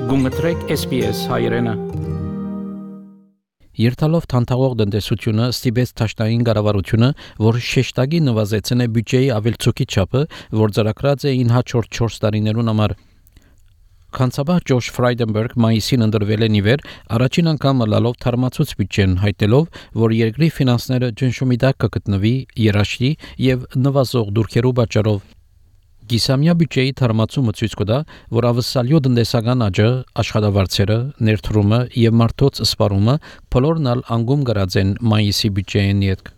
Գումտրեք SPS հայրենը։ Երթալով թանթաղող տնտեսությունը ստիպեց թաշնային կառավարությունը, որ շեշտակի նվազեցնե բյուջեի ավելցուկի չափը, որ ծրագրած էին հաջորդ 4 տարիներուն համար։ Կանցաբար Ջոշ Ֆրայդենբերգ մայիսին ընդրվել է նիվեր, առաջին անգամ լալով թարմացուց բյուջեն, հայտնելով, որ երկրի ֆինանսները ճնշումի տակ կգտնվի երաշտի եւ նվազող դուրքերու պատճառով։ Գիսամյա բյուջեի թարմացումը ցույց կտա, որ ավսալյո տնտեսական աճը, աշխատավարձերը, ներդրումը եւ մարդոց սպառումը բոլորն անգում գրած են մայիսի բյուջեին յետք։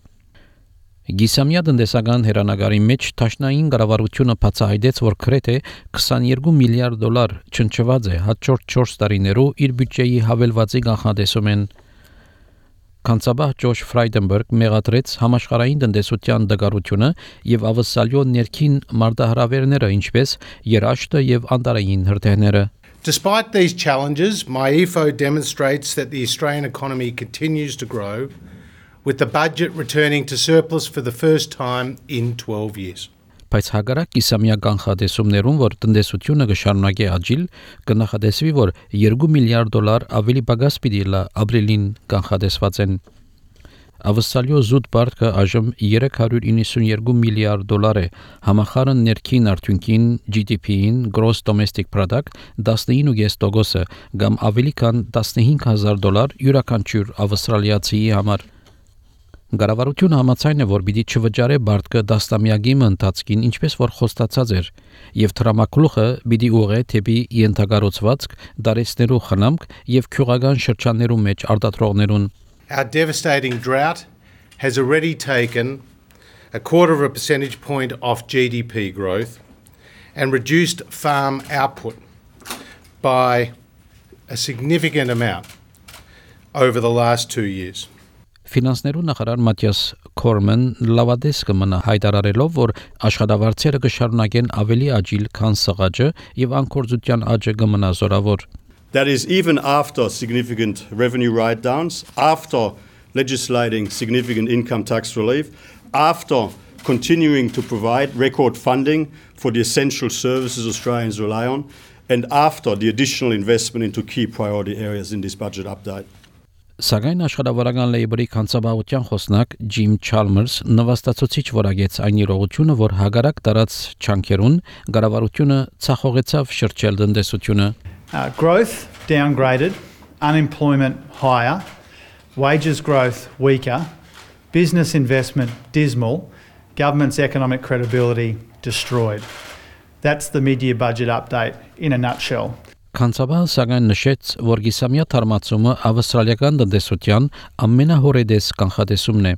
Գիսամյա տնտեսական հերանագարի մեջ թաշնային կառավարությունը բացահայտեց, որ գրեթե $22 միլիարդ չնչված է հաջորդ 4 տարիներու իր բյուջեի հավելվածի կանխատեսում են։ Կանցաբար Ջոշ Ֆրայդենբերգ մեղադրեց համաշխարհային տնտեսության դգարությունը եւ ավսալյո ներքին մարտահրավերները, ինչպես երաշտը եւ անտարային հրթիռները։ Despite these challenges, MyEFO demonstrates that the Australian economy continues to grow, with the budget returning to surplus for the first time in 12 years. Բայց հակառակ Գիսամյա կանխատեսումներուն, որ տնտեսությունը կշարունակի աճել, կնախադեսվի, որ $2 միլիարդ ավելի պակաս պիտի լա ապրիլին կանխատեսված են։ Ավսալյո զուտ բարձը այժմ $392 միլիարդ է, համախառն ներքին արդյունքին GDP-ին Gross Domestic Product 19.5%-ը, կամ ավելի քան $15,000 յուրաքանչյուր ավստրալիացիի համար։ Կառավարությունը համաձայն է, որ պիտի չվճարե բարձը դաստամյակի ընթացքին, ինչպես որ խոստացած էր, եւ թրամակլուխը պիտի ուղղե թեպի ենթակառուցվածք, դարեցներու խնամք եւ քյուղական շրջաններու մեջ արտադրողներուն։ Our devastating drought has already taken 0.25 percentage point off GDP growth and reduced farm output by a significant amount over the last 2 years. Ֆինանսներու նախարար Մաթիաս Քորմեն լավադես կմնա հայտարարելով, որ աշխատավարձերը կշարունակեն ավելի աջիլ, քան սղաճը եւ անկորձության աճը կմնա զորավոր։ That is even after significant revenue write-downs, after legislating significant income tax relief, after continuing to provide record funding for the essential services Australians rely on, and after the additional investment into key priority areas in this budget update. Սակայն աշխատավարական լեյբերի կանցաբաղության խոսնակ Ջիմ Չալմերս նվաստացուցիչ որագեց այն իրողությունը, որ հագարակ տարած չանքերուն կառավարությունը ցախողեցավ շրջել տնտեսությունը։ Growth downgraded, unemployment higher, wages growth weaker, business investment dismal, government's economic credibility destroyed. That's the mid-year budget update in a nutshell. Կանցաբար սակայն նշեց, որ գիսամյա թարմացումը ավստրալիական տնտեսության ամենահորեդես կանխատեսումն է։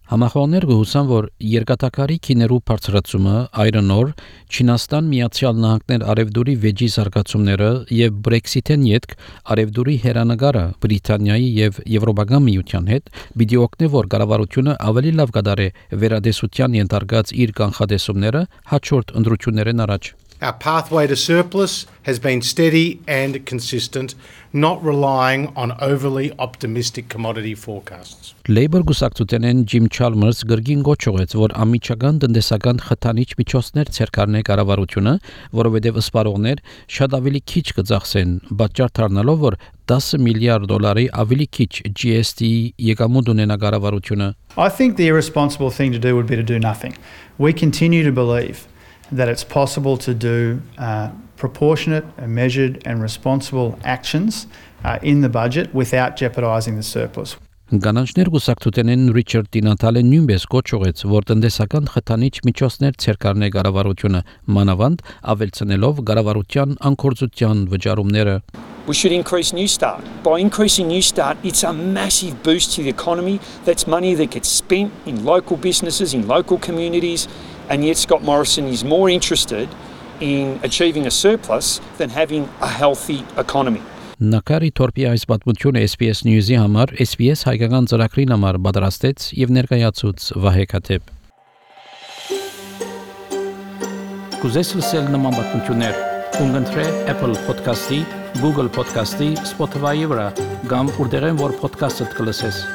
Համախոհներ գուսան, որ երկաթակարի քիներու բարձրացումը, Iron Ore, Չինաստան, Միացյալ Նահանգներ արևդուրի վեճի զարգացումները եւ Brexit-ին յետք արևդուրի հերանագարը Բրիտանիայի եւ Եվրոպական միության հետ պիտի օգնի, որ կառավարությունը ավելի լավ կդարի վերադեսության ենթարկած իր կանխատեսումները հաջորդ ընտրություններն առաջ։ Our pathway to surplus has been steady and consistent, not relying on overly optimistic commodity forecasts. Labour գուսակցութենեն Ջիմ Չալմերս գրգին գոչողեց, որ ամիջական տնտեսական խթանիչ միջոցներ ցերկարնե կառավարությունը, որովհետև սպառողներ շատ ավելի քիչ կծախսեն, պատճառ դառնալով, որ $10 միլիարդ ավելի քիչ GST եկամուտ ունենա կառավարությունը։ I think the irresponsible thing to do would be to do nothing. We continue to believe that it's possible to do proportionate and measured and responsible actions in the budget without jeopardising the surplus. Գանանջներ գուսակցութենեն Ռիչարդ Տինատալը նույնպես կոչողեց, որ տնտեսական խթանիչ միջոցներ ցերկարնե կառավարությունը մանավանդ ավելցնելով կառավարության անկորձության վճարումները։ We should increase New Start. By increasing New Start, it's a massive boost to the economy. That's money that gets spent in local businesses, in local communities, and yet Scott Morrison is more interested in achieving a surplus than having a healthy economy. Նկարի թորպի այս պատմությունը SPS News-ի համար SPS հայկական ծրագրին համար պատրաստեց եւ ներկայացուց Վահե Քաթեփ։ Կուզես լսել նման պատմություններ, կընտրե Apple Podcast-ի, Google Podcast-ի, Spotify-ի վրա, կամ որտեղեն որ podcast-ը կլսես։